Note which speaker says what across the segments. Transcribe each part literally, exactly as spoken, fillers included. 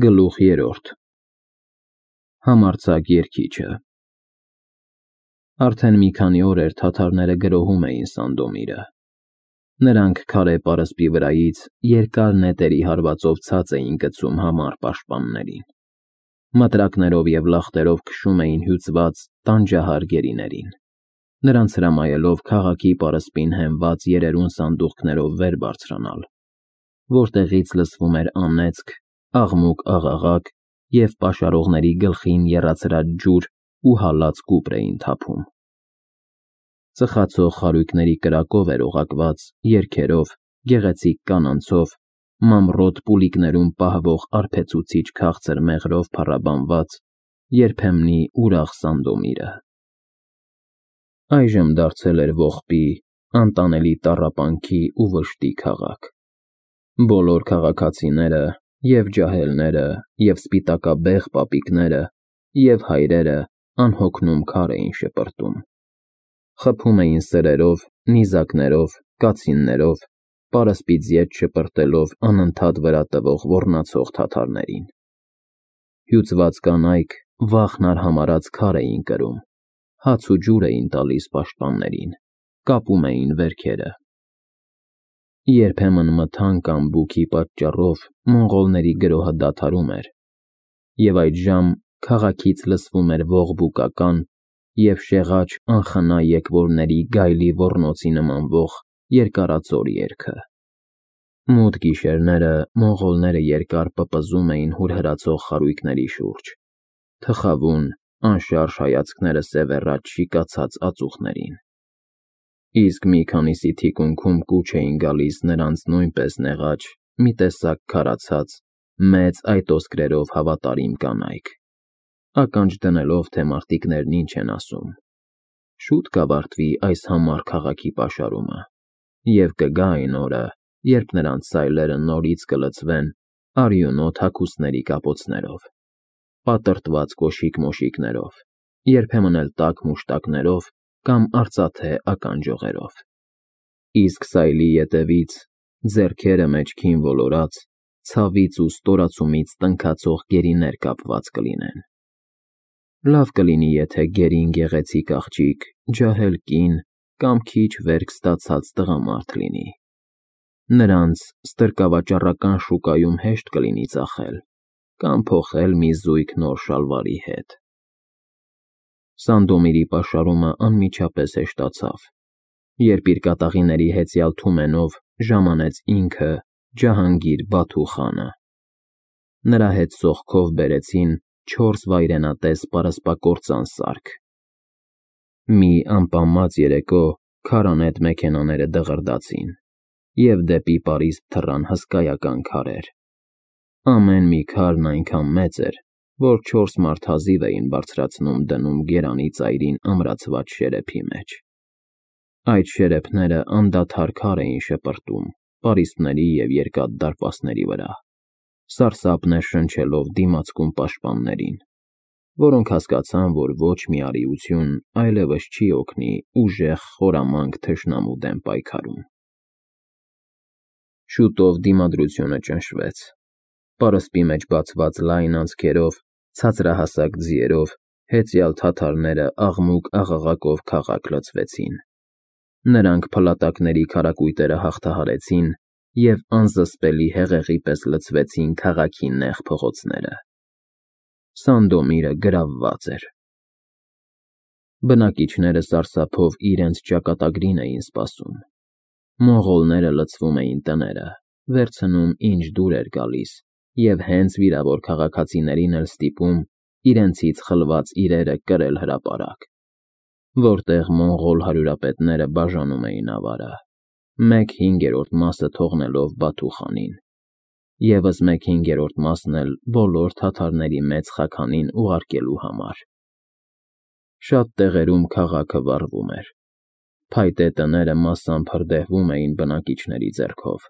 Speaker 1: Գլուխ երրորդ Համարձակ երգիչը Արդեն մի քանի օր էր թաթարները գրոհում էին Սանդոմիրը։ Նրանք քարե պարսպի վրայից երկար նետերի հարվածով ցած էին գցում համառ պաշտպաններին, մտրակներով և լախտերով քշում էին հյուծված տանջահար գերիներին, նրանց հրամայելով քաղաքի պարսպին հենված երերուն սանդուղքներով վեր բարձրանալ, որտեղից լսվում էր անեծք, աղմուկ-աղաղակ և պաշարողների գլխին եռացրած ջուր ու հալած կուպր էին թափում։ Ծխացող խարույկների կրակով էր օղակված, երգերով, գեղեցիկ կանանցով, մամռոտ պուլիկներում պահվող արբեցուցիչ քաղցր մեղրով փառաբանված երբեմնի ուրախ Սանդոմիրը։ Այժմ դարձել էր ողբի, անտանելի տառապանքի ու վշտի քաղաք։ Բոլոր քաղաքացիները, և ջահելները, և սպիտակաբեղ պապիկները, և հայրերը անհոգնում քար էին շպրտում, խփում էին սրերով, նիզակներով, կացիններով, պարսպից ետ շպրտելով անընդհատ վրա տվող ոռնացող թաթարներին։ Հյուծված կանայք վախն արհամարհած քար էին կրում, հաց ու ջուր էին տալիս պաշտպաններին, կապում էին վերքերը։ Երբեմն մթան կամ բուքի պատճառով մոնղոլների գրոհը դադարում էր, և այդժամ քաղաքից լսվում էր ողբուկական և շեղաչ անխնա եկվորների գայլի ոռնոցի նմանվող երկարածոր երգը։ Մութ գիշերները մոնղոլները երկար պպզում էին հուրհրացող խարույկների շուրջ, թխավուն, անշարժ հայացքները սևեռած շիկացած ածուխներին, իսկ մի քանիսի թիկունքում կուչ էին գալիս նրանց նույնպես նեղաչ, մի տեսակ քարացած, մեծ այտոսկրերով հավատարիմ կանայք, ականջ դնելով, թե մարտիկներն ինչ են ասում։ Շուտ կավարտվի այս համառ քաղաքի պաշարումը, և կգա այն օրը, երբ նրանց սայլերը նորից կլցվեն արյունոտ հագուստների կապոցներով, պատրտված կոշիկ-մոշիկներով, երբեմն էլ տաք մուշտակներով կամ արծաթե ականջողերով։ Իսկ սայլի ետևից, ձեռքերը մեջքին ոլորած, ցավից ու ստորացումից տնքացող գերիներ կապված կլինեն։ Լավ կլինի, եթե գերին գեղեցիկ աղջիկ, ջահել կին կամ քիչ վերք ստացած տղամարդ լինի։ Նրանց ստրկավաճառական շուկայում հեշտ կլինի ծախել կամ փոխել մի զույգ նոր շալվարի հետ։ Սանդոմիրի պաշարումը անմիջապես հեշտացավ, երբ իր կատաղիների հեծյալ Թումենով ժամանեց ինքը Ջահանգիր Բաթու խանը։ Նրա հետ սոխքով բերեցին չորս վայրենատես պարսպակործան սարք։ Մի ամպամած երեկո քարանետ մեքենաները դղրդացին, և դեպի պարիսպ թռան հսկայական քարեր։ Ամեն մի քարն այնքան մեծ էր, որ չորս մարդ հազիվ էին բարձրացնում դնում գերանի ծայրին ամրացված շերեփի մեջ։ Այդ շերեփները անդադար քար էին շպրտում պարիսպների և երկաթ դարպասների վրա, սարսափներ շնչելով դիմացկուն պաշտպաններին, որոնք հասկացան, որ ոչ մի արիություն այլևս չի օգնի ուժեղ խորամանկ թշնամու դեմ պայքարում։ Շուտով դիմադրությունը ճնշվեց։ Պարսպի մեջ բացված լայն անցքերով, ցածրահասակ ձիերով հեծյալ թաթարները աղմուկ-աղաղակով քաղաք լցվեցին։ Նրանք փլատակների քարակույտերը հաղթահարեցին և անզսպելի հեղեղի պես լցվեցին քաղաքի նեղ փողոցները։ Սանդոմիրը գրավված էր։ Բնակիչները սարսափով իրենց ճակատագրին էին սպասում։ Մոնղոլները լցվում էին տները, վերցնում ինչ դուր էր գալիս և հենց վիրավոր քաղաքացիներին էլ ստիպում իրենցից խլված իրերը կրել հրապարակ, որտեղ մոնղոլ հարյուրապետները բաժանում էին ավարը, մեկ հինգերորդ մասը թողնելով Բաթու խանին, ևս մեկ հինգերորդ մասն էլ բոլոր թաթարների մեծ խաքանին ուղարկելու համար։ Շատ տեղերում քաղաքը վառվում էր։ Փայտե տները մասամբ հրդեհվում էին բնակիչների ձեռքով,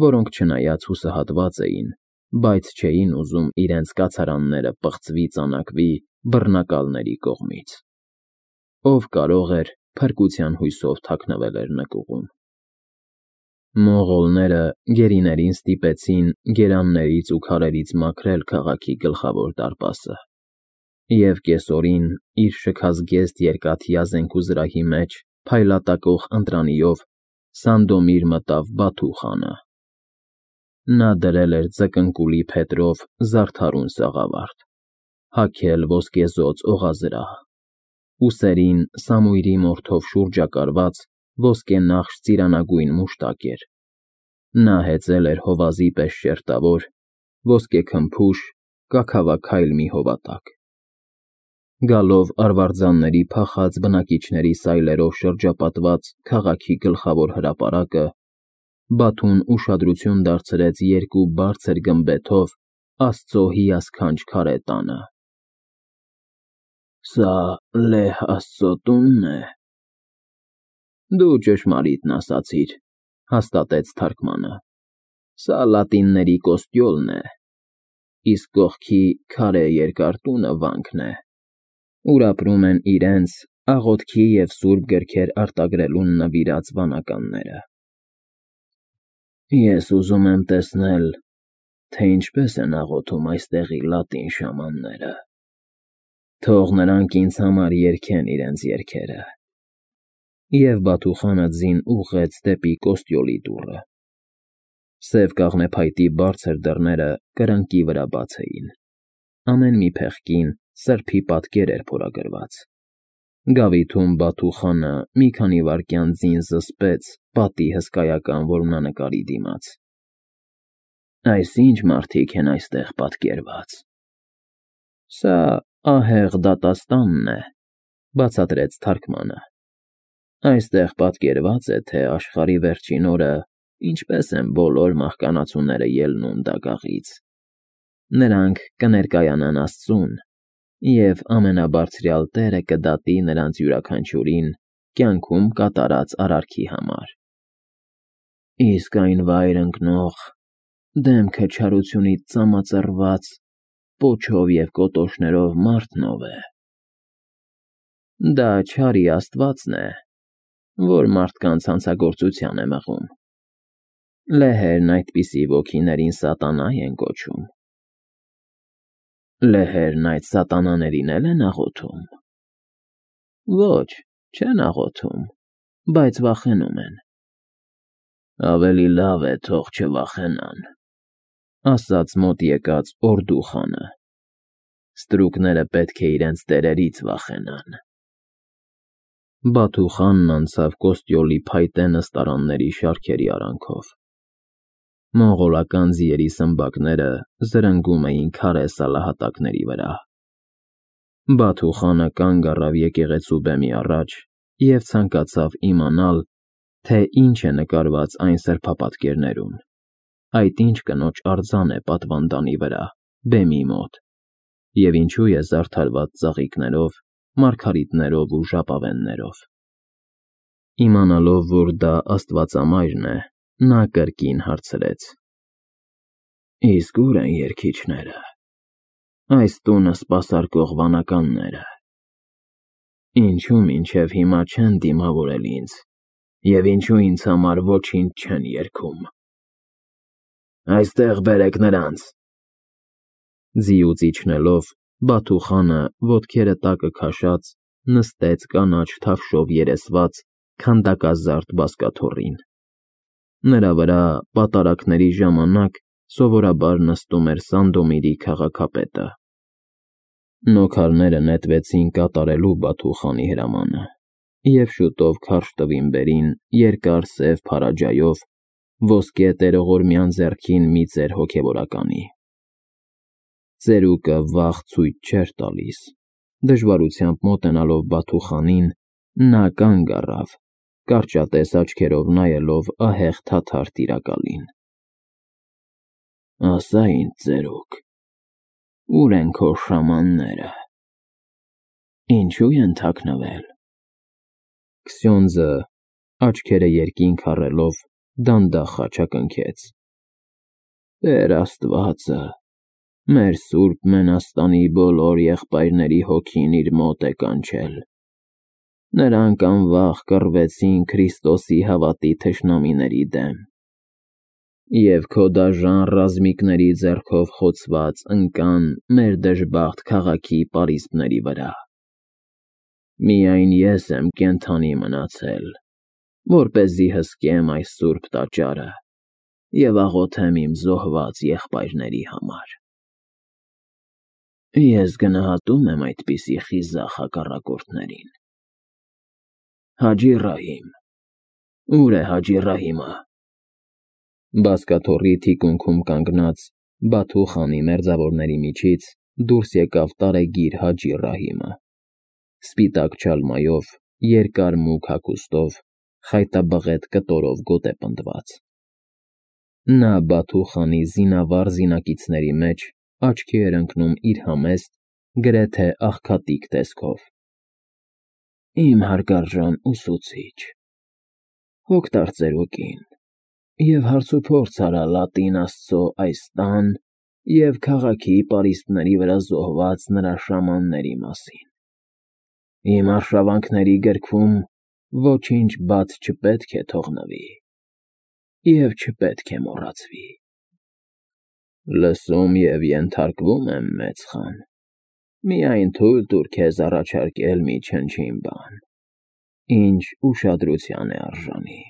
Speaker 1: որոնք չնայած հուսահատված էին, բայց չէին ուզում իրենց կացարանները պղծվի ծանակվի բռնակալների կողմից։ Ով կարող էր, փրկության հույսով թաքնվել էր նկուղում։ Մոնղոլները գերիներին ստիպեցին գերաններից ու քարերից մաքրել քաղաքի գլխավոր դարպասը, և կեսօրին իր շքազգեստ երկաթյա զենքուզրահի մեջ փայլատակող ընտրանիով Սանդոմիր մտավ Բաթու խանը։ Նա դրել էր ձկնկուլի փետրով զարդարուն սաղավարտ, հագել ոսկեզօծ օղազրահ, ուսերին սամույրի մորթով շուրջակարված ոսկենախշ ծիրանագույն մուշտակ էր։ Նա հեծել էր հովազի պես շերտավոր, ոսկեքմփուշ, կաքավաքայլ մի հովատակ։ Գալով արվարձանների փախած բնակիչների սայլերով շրջապատված քաղաքի գլխավոր հրապարակը, Բաթուն ուշադրություն դարձրեց երկու բարձր գմբեթով Աստծո հիասքանչ քարե տանը։ «Սա լեհ Աստծո տունն է»։ Դու ճշմարիտն ասացիր, հաստատեց թարգմանը։ Սա լատինների կոստյոլն է, իսկ կողքի քարե երկար տունը վանքն է, ուր ապրում են իրենց աղոթքի և սուրբ գրքեր արտագրելուն նվիրած վանականները։ Ես ուզում եմ տեսնել, թե ինչպես են աղոթում այստեղի լատին շամանները։ Թող նրանք ինձ համար երգեն իրենց երգերը։ Եվ Բաթու խանը ձին ուղղեց դեպի կոստյոլի դուռը։ Սև կաղնեփայտի բարձր դռները կրկնակի վրա բաց էին։ Ամեն մի փեղկին սրբի պատկեր էր փորագրված։ Գավիթում Բաթու խանը մի քանի վայրկյան ձին զսպեց պատի հսկայական որմնանկարի դիմաց։ Այս ի՞նչ մարդիկ են այստեղ պատկերված։ Սա ահեղ դատաստանն է, բացատրեց թարգմանը։ Այստեղ պատկերված է, թե աշխարհի վերջին օրը ինչպես են բոլոր մահկանացուները ելնում դագաղից։ Նրանք կներկայանան Աստծուն, և ամենաբարձրյալ Տերը կդատի նրանց յուրաքանչյուրին կյանքում կատարած արարքի համար։ Իսկ այն վայր ընկնող, դեմքը չարությունից ծամածռված, պոչով և կոտորներով մարդն ով է։ Դա չարի աստվածն է, որ մարդկանց հանցագործության է մղում։ Լեհերն այդպիսի ոգիներին սատանա են կոչում։ Լեհերն այդ սատանաներին էլ են աղոթում։ Ոչ, չեն աղոթում, բայց վախենում են։ Ավելի լավ է, թող չվախենան, ասաց մոտ եկած Օրդու խանը։ Ստրուկները պետք է իրենց տերերից վախենան։ Բաթու խանն անցավ կոստյոլի փայտե նստարանների շարքերի արանքով։ Մոնղոլական ձիերի սմբակները զրնգում էին քարե սալահատակների վրա։ Բաթու խանը կանգ առավ եկեղեցու բեմի առաջ և ցանկացավ իմանալ, թե ինչ է նկարված այն սրբապատկերներում, այդ ինչ կնոջ արձան է պատվանդանի վրա, բեմի մոտ, և ինչու է զարդարված ծաղիկներով, մարգարիտներով ու ժապավեններով։ Իմանալով, որ դա աստվածամայրն է, նա կրկին հարցրեց. Իսկ ո՞ւր են երգիչները, այս տունը սպասարկող վանականները։ Ինչու մինչև հիմա չեն դիմավորել ինձ, և ինչու ինձ համար ոչինչ չեն երգում։ Այստեղ բերեք նրանց։ Ձիուց իջնելով, Բաթու խանը, ոտքերը տակը քաշած, նստեց կանաչ թավշով երեսված քանդակազարդ բազկաթոռին։ Նրա վրա պատարագների ժամանակ սովորաբար նստում էր Սանդոմիրի քաղաքապետը։ Նոքարները նետվեցին կատարելու Բաթու խանի հրամանը, և շուտով քարշ տվին երկար սև փարաջայով ոսկե տերողորմյան ձեռքին մի ծեր հոգևորականի։ Ծերուկը վաղ ցույց չէր տալիս։ Դժվարությամբ մոտենալով Բաթու խանին, նա կանգ առավ, կարճատես աչքերով նայելով ահեղ թաթար տիրակալին։ Ասա ինձ, ծերուկ, ո՞ւր են քո շամանները։ Ինչո՞ւ են թաքնվել։ Քսյոնդզը, աչքերը երկինք առելով, դանդաղ խաչակնքեց. Տեր Աստվածը, մեր սուրբ մենաստանի բոլոր եղբայրների հոգին իր մոտ է կանչել։ Նրանք անվախ կռվեցին Քրիստոսի հավատի թշնամիների դեմ, Եվ քո դաժան ռազմիկների ձեռքով խոցված ընկան մեր դժբախտ քաղաքի պարիսպների վրա։ Միայն ես եմ կենդանի մնացել, որպեսզի հսկեմ այս սուրբ տաճարը և աղոթեմ իմ զոհված եղբայրների համար։ Ես գնահատում եմ այդպիսի խիզախ հակառակորդներին։ Հաջի Ռահիմ, ո՞ւր է Հաջի Ռահիմը։ Բազկաթոռի թիկունքում կանգնած Բաթու խանի մերձավորների միջից դուրս եկավ տարեգիր Հաջի Ռահիմը, սպիտակ չալմայով, երկար մուգ հագուստով, խայտաբղետ կտորով գոտե պնդված։ Նա Բաթու խանի զինավառ զինակիցների մեջ աչքի էր ընկնում իր համեստ, գրեթե աղքատիկ տեսքով։ Իմ հարգարժան ուսուցիչ, հոգ տար ծերուկին և հարցուփորձ արա լատին աստծո այս տան և քաղաքի պարիսպների վրա զոհված նրա շամանների մասին։ Իմ արշավանքների գրքում ոչինչ բաց չպետք է թողնվի և չպետք է մոռացվի։ Լսում և ենթարկվում եմ, մեծ խան, միայն թույլ տուր քեզ առաջարկել մի չնչին բան, ինչ ուշադրության է արժանի։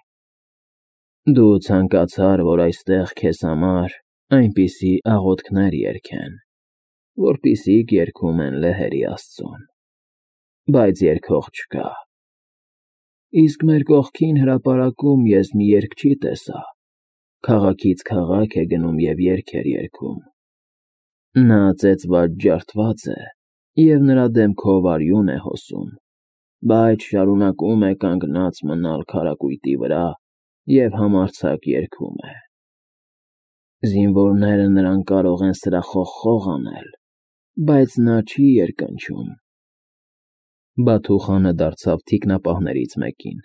Speaker 1: Դու ցանկացար, որ այստեղ քեզ համար այնպիսի աղոթքներ երգեն, որպիսիք երգում են լեհերի աստծուն, բայց երգող չկա։ Իսկ մեր կողքին հրապարակում ես մի երգչի տեսա, քաղաքից քաղաք է գնում և երգեր երգում։ Նա ծեծված ջարդված է և նրա դեմքով արյուն է հոսում, բայց շարունակում է կանգնած մնալ քարակույտի վրա և համարձակ երգում է։ Զինվորները նրան կարող են սրախոխ անել, բայց նա չի երկնչում։ Բաթու խանը դարձավ թիկնապահներից մեկին։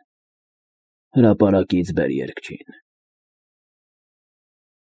Speaker 1: Հրապարակից բեր երգչին։